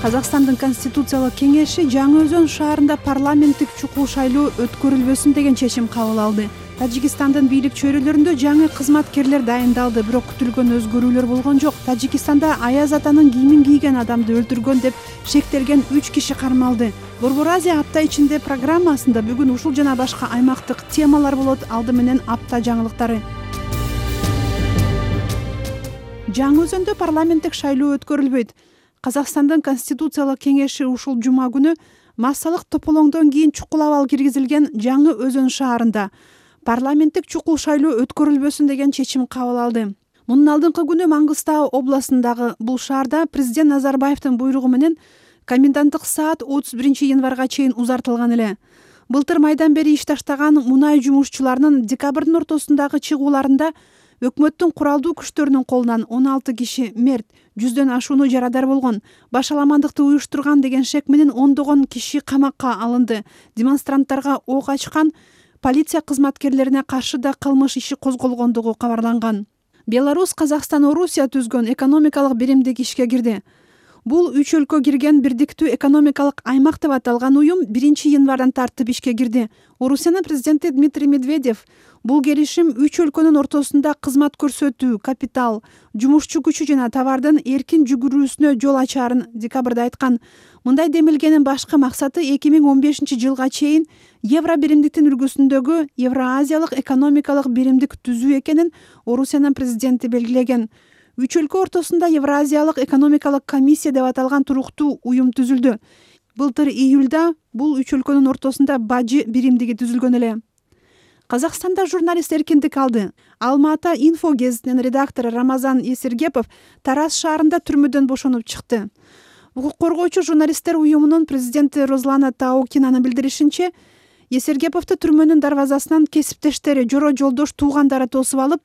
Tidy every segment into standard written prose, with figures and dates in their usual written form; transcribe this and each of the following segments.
Казакстандын Конституциялык кеңеши Жаңы Өзөн шаарында парламенттик чукул шайлоо өткөрүлбөсүн деген чечим кабыл алды. Тажикстандын бийлик чөйрөлөрүндө жаңы кызматкерлер дайындалды, бирок күтүлгөн өзгөрүүлөр болгон жок. Тажикстанда Аяз атанын кийимин кийген адамды өлтүргөн деп шектелген 3 киши кармалды. Борбор Азия апта ичинде программасында бүгүн ушул жана башка аймактык темалар болот. Алды менен апта жаңылыктары. Жаңы Өзөндө парламенттик шайлоо өткөрүлбөйт. Казакстандын Конституциялык кеңеши ушул жума күнү массалык тополоңдон кийин чукул абал киргизилген Жаңы Өзөн шаарында парламенттик чукул шайлоо өткөрүлбөсүн деген чечим кабыл алды. Мунун алдыңкы күнү Маңгыстау областындагы бул шаарда президент Назарбаевдин буйругу менен коменданттык саат 31 январга чейин узартылган эле. Былтыр майдан бери иш таштаган мунай жумушчуларынын декабрдын ортосундагы чыгууларында өкмөттүн куралдуу күчтөрүнүн колунан 16 киши мерт, 100дөн ашууну жарадар болгон. Башаламандыкты уюштурган деген шек менен ондогон киши камакка алынды. Демонстранттарга ок ачкан полиция кызматкерлерине каршы да кылмыш иши козголгондугу кабарланган. Беларусь, Казакстан, Орусия түзгөн экономикалык биримдик ишке кирди. Бул 3 өлкө кирген бирдиктүү экономикалык аймак деп аталган уюм 1 январдан тартып ишке кирди. Орусиянын президенти Дмитрий Медведев бул келишим 3 өлкөнүн ортосунда кызмат көрсөтүү, капитал, жумушчу күчү жана товардын эркин жүгүрүүсүнө жол ачаарын декабрда айткан. Мындай демилгенин башкы максаты 2015 жылга чейин евро биримдиктин үлгүсүндөгү Евразиялык экономикалык биримдик түзүү экенин Орусиянын президенти белгилеген. 3 өлкө ортосунда Евразиялык экономикалык комиссия деп аталган туруктуу уюм түзүлдү. Былтыр июлда бул 3 өлкөнүн ортосунда бажы биримдиги түзүлгөн эле. Казакстанда журналист эркиндик алды. Алма-Ата инфо гезитинин редактору Рамазан Эсергепов Тараз шаарында түрмөдөн бошонуп чыкты. Укук коргоочу журналисттер уюмунун президенти Розлана Таукинанын билдиришинче, Эсергеповду түрмөнүн дарбазасынан кесиптештери, жора жолдош, туугандары тосуп алып,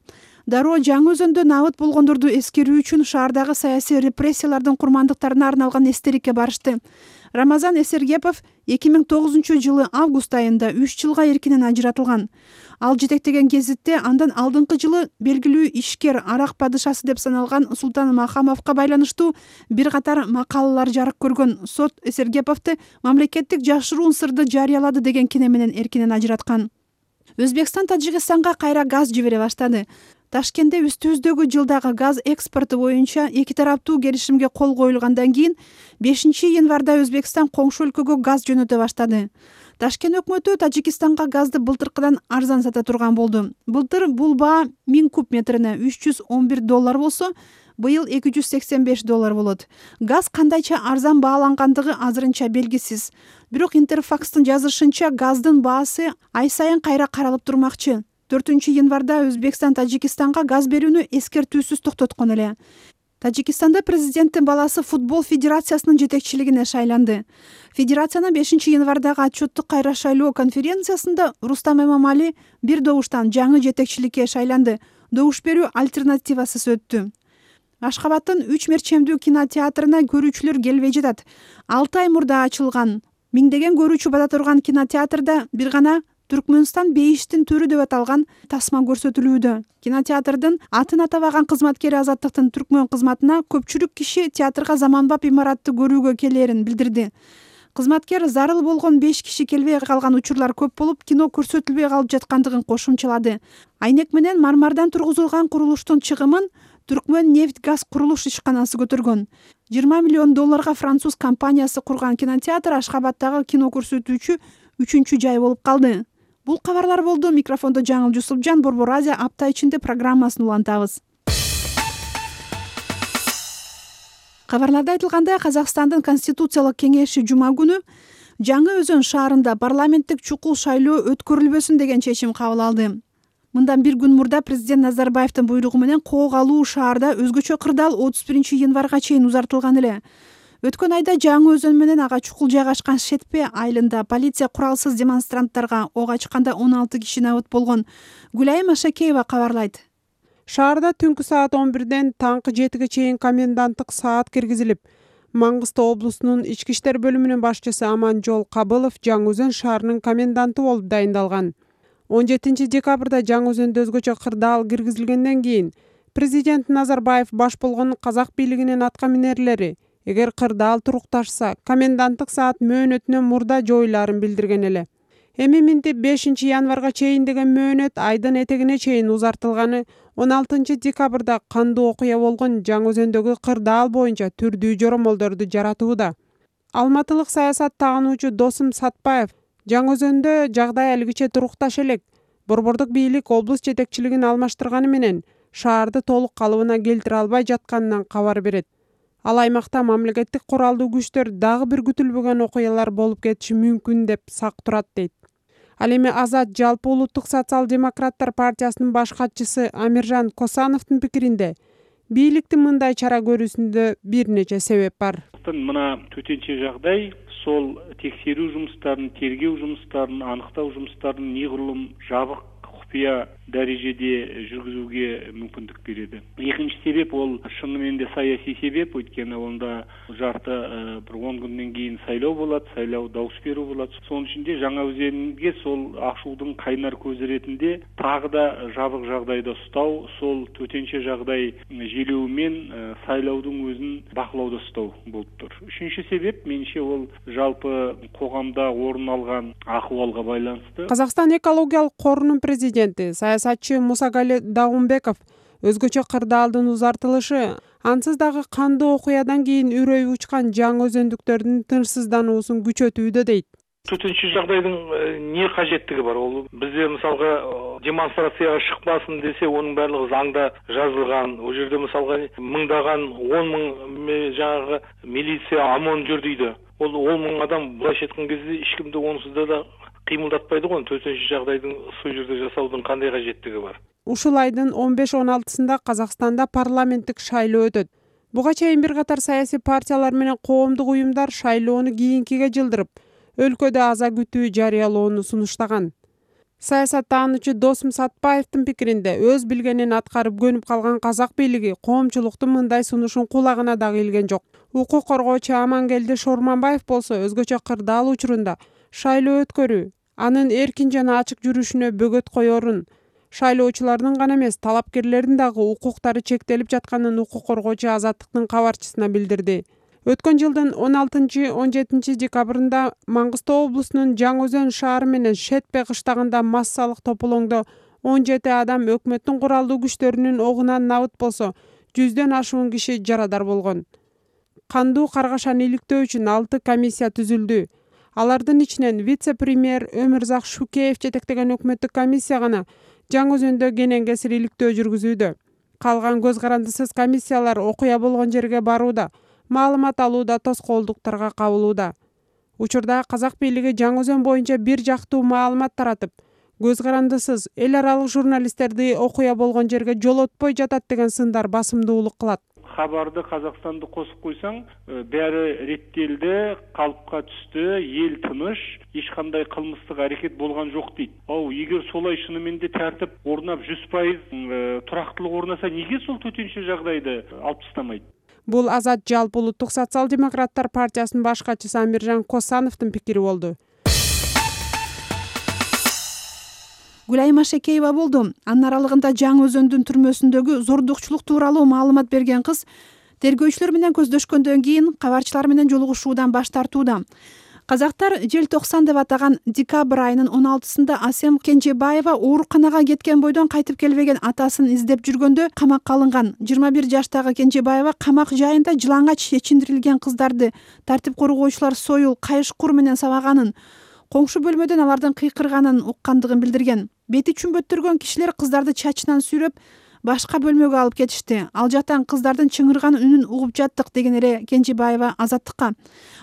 дароо Жаңы Өзөндө набыт болгондорду эскерүү үчүн шаардагы саясий репрессиялардын курмандыктарына арналган эстеликке барышты. Рамазан Эсергепов 2009 жылы август айында 3 жылга эркинен ажыратылган. Ал жетектеген гезитте андан алдыңкы жылы белгилүү ишкер, арак падышасы деп саналган Султан Махамовго байланыштуу бир катар макалалар жарык көргөн. Сот Эсергеповду мамлекеттик жашыруун сырды жарыялады деген кине менен эркинен ажыраткан. Өзбекстан Тажикстанга кайра газ жибере баштады. Ташкентте үстүбүздөгү жылдагы газ экспорту боюнча эки тараптуу келишимге кол коюлгандан кийин 5 январда Өзбекстан коңшу өлкөгө газ жөнөтө баштады. Ташкент өкмөтү Тажикстанга газды былтыркыдан арзан сата турган болду. Былтыр бул баа 1000 куб метрине $311 болсо, быйыл $285 болот. Газ кандайча арзан баалангандыгы азырынча белгисиз. Бирок Интерфакстын жазышынча газдын баасы ай сайын кайра каралып турмакчы. 4 январда Өзбекстан Тажикстанга газ берүүнү эскертүүсүз токтоткон эле. Тажикстанда президенттин баласы футбол федерациясынын жетекчилигине шайланды. Федерациянын 5 январдагы отчеттук кайра шайлоо конференциясында Рустам Эмомали бир добуштан жаңы жетекчиликке шайланды. Добуш берүү альтернативасыз өттү. Ашкабадтын 3 мерчемдүү кинотеатрына көрүүчүлөр келбей жатат. 6 ай мурда ачылган. Миңдеген көрүүчү бата турган кинотеатрда бир гана Түркмөнстан бейиштин төрү деп аталган тасма көрсөтүлүүдө. Кинотеатрдын атын атабаган кызматкери Азаттыктын түркмөн кызматына көпчүлүк киши театрга заманбап имаратты көрүүгө келерин билдирди. Кызматкер зарыл болгон 5 киши келбей калган учурлар көп болуп, кино көрсөтүлбөй калып жаткандыгын кошумчалады. Айнек менен мармардан тургузулган курулуштун чыгымын Түркмөн нефть газ курулуш ишканасы көтөргөн. $20 миллион француз компаниясы курган кинотеатр Ашхабадтагы кино көрсөтүүчү 3-чү жай болуп калды. Бул кабарлар болду. Микрофондо Жаңыл Жусупжан, Борбор Азия апта ичинде программасын улантабыз. Кабарларда айтылгандай, Казакстандын Конституциялык кеңеши жума күнү Жаңы Өзөн шаарында парламенттик чукул шайлоо өткөрүлбөсүн деген чечим кабыл алды. Мындан бир күн мурда президент Назарбаевдин буйругу менен кок алуу шаарда өзгөчө кырдаал 31 январга чейин узартылган эле. Өткөн айда Жаңы Өзөн менен ага чукул жайгашкан Шетпе айылында полиция куралсыз демонстранттарга ок ачканда 16 киши набыт болгон. Гүлайым Ашакеева кабарлайт. Шаарда түнкү саат 11ден таңкы 7ге чейин коменданттык саат киргизилип, Маңгыстау облусунун ички иштер бөлүмүнүн башчысы Аманжол Кабылов Жаңы Өзөн шаарынын коменданты болуп дайындалган. 17 декабрда Жаңы Өзөндө өзгөчө кырдаал киргизилгенден кийин президент Назарбаев баш болгон казак бийлигинин атка минерлери эгер кырдаал турукташса коменданттык саат мөөнөтүнөн мурда жоюлаарын билдирген эле. Эми минтип 5 январга чейин деген мөөнөт айдын этегине чейин узартылганы 16 декабрда кандуу окуя болгон Жаңы Өзөндөгү кырдаал боюнча түрдүү жоромолдорду жаратууда. Алматылык саясат таануучу Досум Сатпаев Жаңы Өзөндө жагдай алгыче турукташ элек. Борбордук бийлик облус жетекчилигин алмаштырганы менен шаарды толук калыбына келтире албай жатканынан кабар берет. Ал аймакта мамлекеттик куралдуу күчтөр дагы бир күтүлбөгөн окуялар болуп кетиши мүмкүн деп сак турат дейт. Ал эми Азат жалпы улуттук социал-демократтар партиясынын баш катчысы Амиржан Косановдун пикиринде бийликтин мындай чара көрүүсүндө бир нече себеп бар. Мына төтенче жагдай сол текшерүү жумуштарын, тергөө жумуштарын, аныктоо жумуштарын негүрлüm жабык купуя дарежеде жүргүзүүгө мүмкүндүк берет. Экинчи себеп ол шынымен де саясий себеп, өйткені онда жарты bir 10 күндөн кийин сайлоо болот, сайлоо дауыс берүү болот. Сонун ичинде Жаңы Өзөнгө сол ашуудун кайнар көзү иретинде тагы да жабык жагдайда устоо, сол төтенче жагдай желөө менен сайлоодун өзүн бакылоодо устоо болуптур. Үчүнчү себеп менимче ол жалпы коомдо орун алган акыбалга байланыштуу. Казакстан экологиялык корунун президенти саясатчы Мусагали Даунбеков өзгөчө кырдаалдын узартылышы ансыз дагы кандуу окуядан кийин үрөйү учкан жаңы өзөндүктөрдүн тынчсыздануусун күчөтүүдө дейт. Төтенче жагдайдын эмне кажеттиги бар? Ол бизде мисалга демонстрацияга чыкпасын десе, онун баардыгы заңда жазылган. Ол жерде мисалга мыңдаган 10 000 жаңы милиция ОМОН жүрдүйдү. Ол 10 000 адам булайча айткан кезде эч кимди онусузда да кыймылдатпайды го. Төтенче жагдайдын ушул жерде жасаудун кандай кажеттиги бар? Ушул айдын 15-16-сында Казакстанда парламенттик шайлоо өтөт. Буга чейин бир катар саясий партиялар менен коомдук уюмдар шайлоону кийинкиге жылдырып, өлкөдө аза күтүү жарыялоону сунуштаган. Саясат таануучу Досум Сатпаевдин пикиринде өз билгенин аткарып көнүп калган казак бийлиги коомчулуктун мындай сунушун кулагына дагы илген жок. Укук коргоочу Амангелди Шорманбаев болсо өзгөчө кырдаал учурунда шайлоо өткөрүү, анын эркин жана ачык жүрүшүнө бөгөт коёрун, шайлоочулардын гана эмес, талапкерлердин дагы укуктары чектелип жатканын укук коргоочу Азаттыктын кабарчысына билдирди. Өткөн жылдын 16-17 декабрында Маңгыстоо облусунун Жаңы Өзөн шаары менен Шетпе кыштагында массалык тополоңдо 17 адам өкмөттүн куралдуу күчтөрүнүн огунан набыт болсо, 100дөн ашуун киши жарадар болгон. Кандуу каргашаны иликтөө үчүн 6 комиссия түзүлдү. Алардын ичинен вице-премьер Өмүрзак Шукеев жетектеген өкмөттүк комиссия гана Жаңы Өзөндө кенен кесир иликтөө жүргүзүүдө. Калган көз карандысыз комиссиялар окуя болгон жерге барууда, маалымат алууда, тоскоолдуктарга кабылууда. Учурда казак бийлиги Жаңы Өзөн боюнча бир жактуу маалымат таратып, көз карандысыз эл аралык журналисттерди окуя болгон жерге жолотпой жатат деген сындар басымдуулук кылат. Хабарды Казакстанды косуп койсоң, баары реттелди, калыпка түстү, эл тыныч, эч кандай кылмыстык аракет болгон жок дейт. Эгер солай шынымен де тартип орнап 100% турактуулук орнаса, неге сол төтенче жагдайды алып тастамайт? Бул Азат жалпы улуттук социал-демократтар партиясынын баш катчысы Амиржан Косановдун пикири болду. Гүлай Машекеева болду. Анын аралыгында Жаңы Өзөндүн түрмөсүндөгү зордукчулук тууралуу маалымат берген кыз тергөөчүлөр менен көздөшкөндөн кийин кабарчылар менен жолугушуудан баш тартууда. Казактар желтоқсан деп атаган декабрь айынын 16-сында Асем Кенжебаева ооруканага кеткен бойдон кайтып келбеген атасын издеп жүргөндө камакка алынган. 21 жаштагы Кенжебаева камак жайында жылаңач чечиндирилген кыздарды тартип коргоочулар союл, кайыш-кур менен сабаганын, коңшу бөлмөдөн алардын кыйкырганын уккандыгын билдирген. Бети чүмбөттөргөн кишилер кыздарды чачынан сүйрөп башка бөлмөгө алып кетишти. Ал жактан кыздардын чыңырган үнүн угуп жаттык деген эле Кенжебаева Азаттыкка.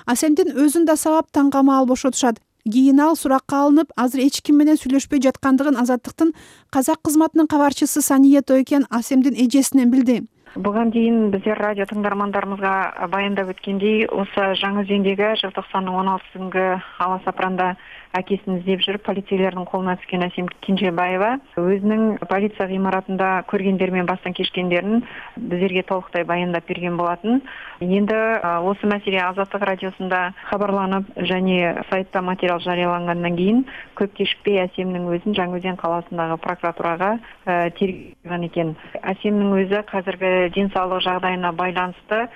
Асемдин өзүн да сабап таңгамаал бошотушат. Кийин ал суракка алынып, азыр эч ким менен сүйлөшпөй жаткандыгын Азаттыктын казак кызматынын кабарчысы Сания Тойкен Асемдин эжесинен билди. Буга чейин биздер радио тыңдармандарыбызга баяндап өткөндөй, осы Жаңы Өзөндөгү желтоқсандын 16-сында ала сапранда акесин издеп жүрүп, полицейлердин колуна түшкөн Асем Кенжебаева өзүнүн полиция гымаратында көргөндөрү менен бастан кечкендерин биздерге толуктай баяндап берген болатын. Эndi осы маселе Азаттык радиосунда кабарланып, және сайтта материал жарыялангандан кийин көп кечикпей Асемдин өзүн Жаңы Өзөн каласындагы прокуратурага тергөөгөн экен. Асемдин өзү азыркы ден соолук жагдайына байланыштуу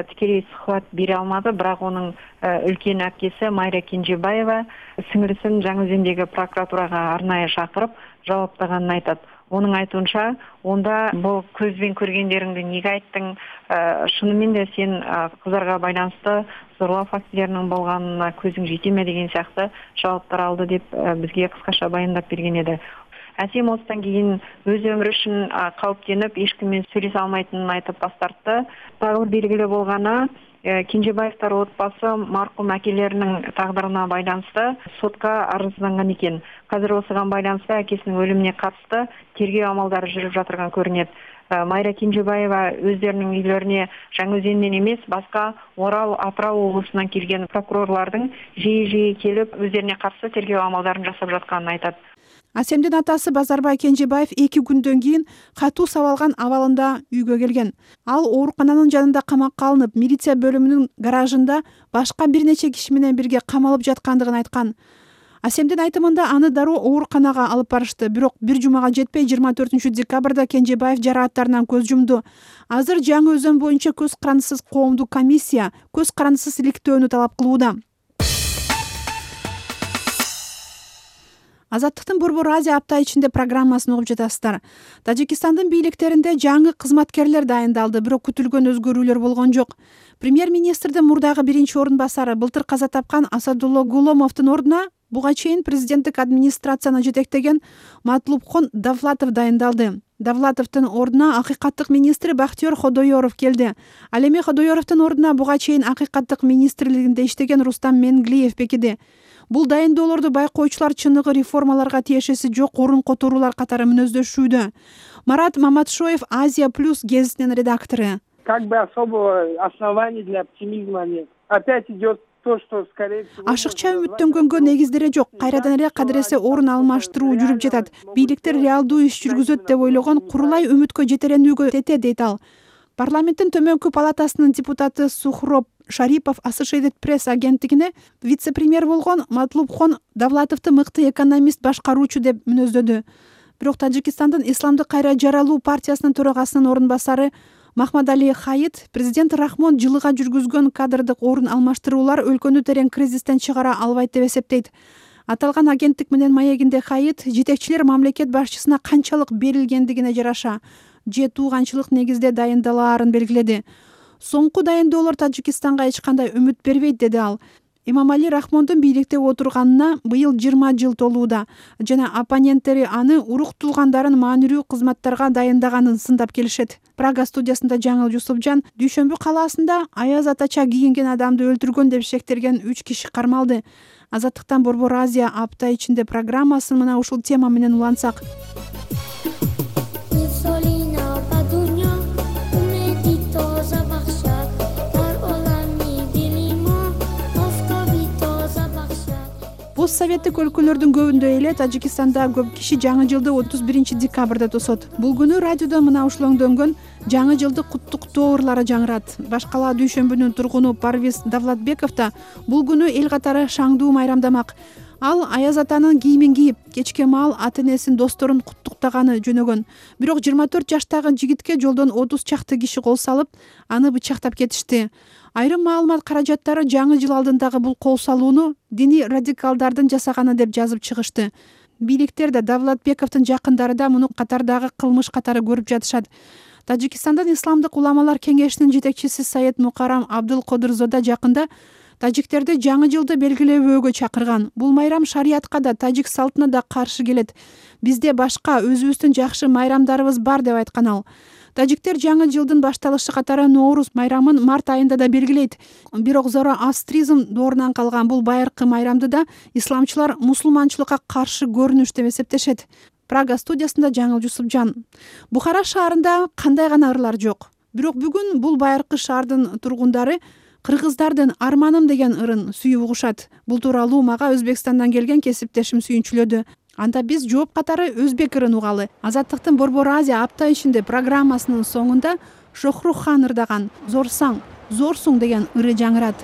тикелей сухбат бере алмады, бирок анын үлкен апкеси Майра Кенжебаева сиңирисин Жаңы Өзөндөгү прокуратурага арнайы чакырып жабаптаганын айтат. Onun айтуунча, онда бул көзбен көргендериңди неге айттың? Шынымен де сен кыздарга байланыштуу зорлоо фактилеринин болгонуна көзүң жетеме деген сыяктуу жабаптар алды деп бизге кыскача баяндап берген эди. Асем осыдан кийин өз өмүрү үчүн кауіптеніп, ешкіммен сөйлесе алмайтынын айтып бас тартты. Дагы белгилүү болгону, Кенжебаевтар отбасы маркум акелеринин тагдырына байланыштуу сотко арызданган экен. Казыр осуга байланыштуу акесинин өлүмүнө катышты тергөө амалдары жүрүп жатырган көрүнөт. Майра Кенжебаева өздеринин үйлөрүнө Жаңы Өзөндөн эмес, башка Орал, Атырау облусунан келген прокурорлордун жиі келип, өздерине каршы тергөө амалдарын жасап жатканын айтат. Асемдин атасы Базарбай Кенжебаев 2 күндөн кийин катуу сабалган абалында үйгө келген. Ал оорукананын жанында камакка алынып, милиция бөлүмүнүн гаражында башка бир нече киши менен бирге камалып жаткандыгын айткан. Асемдин айтымында аны дароо ооруканага алып барышты, бирок бир жумага жетпей 24 декабрда Кенжебаев жарааттарынан көз жумду. Азыр Жаңы Өзөн боюнча көз карандысыз коомдук комиссия көз карандысыз иликтөөнү талап кылууда. Азаттыктын Борбор Азия апта ичинде программасын угуп жатасыздар. Тажикстандын бийликтеринде жаңы кызматкерлер дайындалды, бирок күтүлгөн өзгөрүүлөр болгон жок. Премьер-министрдин мурдагы биринчи орун басары былтыр каза тапкан Асадулло Гуломовдун ордуна буга чейин президенттик администрацияны жетектеген Матлубхон Давлатов дайындалды. Давлатовдун ордуна акыйкаттык министри Бактиер Ходоёров келди. Ал эми Ходоёровдун ордуна буга чейин акыйкаттык министрлигинде иштеген Рустам Менглиев бекиди. Бул дайындоолорду байкоочулар чыныгы реформаларга тиешеси жок орун которуулар катары мүнөздөшүүдө. Марат Маматшоев, Азия Плюс гезитинин редактору. Как бы особого основания для оптимизма нет. Опять идет то, что скорее всего... Ашыкча үмүттөнгөнгө негиздери жок. Кайрадан эле кадыресе орун алмаштыруу жүрүп жатат. Бийликтер реалдуу иш жүргүзөт деп ойлогон курулай үмүткө жетеренүүгө тете дейт ал. Парламенттин төмөнкү палатасынын депутаты Сухроб Шарипов Associated Press агенттигине вице-премьер болгон Матлубхон Давлатовду мыкты экономист башкаруучу деп мүнөздөдү. Бирок Тажикстандын Исламдык кайра жаралуу партиясынын төрагасынын орун басары Махмадали Хаит президент Рахмон жылыга жүргүзгөн кадрдык орун алмаштыруулар өлкөнү терең кризистен чыгара албайт деп эсептейт. Аталган агенттик менен маегинде Хаит жетекчилер мамлекет башчысына канчалык берилгендигине жараша же тууганчылык негизде дайындалаарын белгиледи. Соңку дайындоолор Тажикстанга эч кандай үмүт бербейт, деди ал. Имамали Рахмондун бийликте отурганына быйыл 20 жыл толууда жана оппоненттери аны урук туулгандарын маанилүү кызматтарга дайындаганын сындап келишет. Прага студиясында Жаңыл Жусупжан Дүйшөмбү калаасында аяз атача кийинген адамды өлтүргөн деп шектелген 3 киши кармалды. Азаттыктан Борбор Азия апта ичинде программасын мына ушул тема менен улантсак. Советтик өлкөлөрдүн көбүндө эле Тажикстанда көп киши жаңы жылды 31 декабрда тосот. Бул күнү радиодо мына ушулоңдөнгөн жаңы жылдык куттуктоо ырлары жаңырат. Башкала Дүйшөмбүнүн тургуну Парвиз Давлатбеков да бул күнү эл катары шаңдуу майрамдамак. Ал аяз атанын кийимин кийип, кечке маал ата-энесин, досторун куттуктаганы жөнөгөн. Бирок 24 жаштагы жигитке жолдон 30 чакты киши кол салып, аны бычактап кетишти. Айрым маалымат каражаттары жаңы жыл алдындагы бул кол салууну диний радикалдардын жасаганы деп жазып чыгышты. Бийликтер да Давлатбековдун жакындары да муну катардагы кылмыш катары көрүп жатышат. Тажикстандын Исламдык уламалар кеңешинин жетекчиси Саед Мукарам Абдулкодырзода жакында тажиктерди жаңы жылды белгилебөөгө чакырган. Бул майрам шариятка да, тажик салтына да каршы келет. Бизде башка өзүбүздүн жакшы майрамдарыбыз бар деп айткан ал. Тажиктер жаңы жылдын башталышы катары Ноорус майрамын март айында да белгилейт. Бирок зороастризм доорунан калган бул байыркы майрамды да исламчылар мусулманчылыкка каршы көрүнүш деп эсептешет. Прага студиясында Жаңыл Жусупжан. Бухара шаарында кандай гана ырлар жок. Бирок бүгүн бул байыркы шаардын тургундары кыргыздардын арманым деген ырын сүйүп угушат. Бул тууралуу мага Өзбекстандан келген кесиптешим сүйүнчүлөдү. Анда биз жооп катары өзбек ырын угалы. Азаттыктын Борбор Азия апта ичинде программасынын соңунда Шохрухан ырдаган Зорсаң, зорсуң деген ыры жаңырат.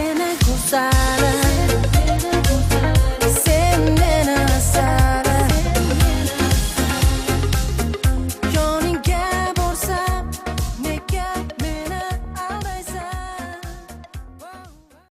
менен кусары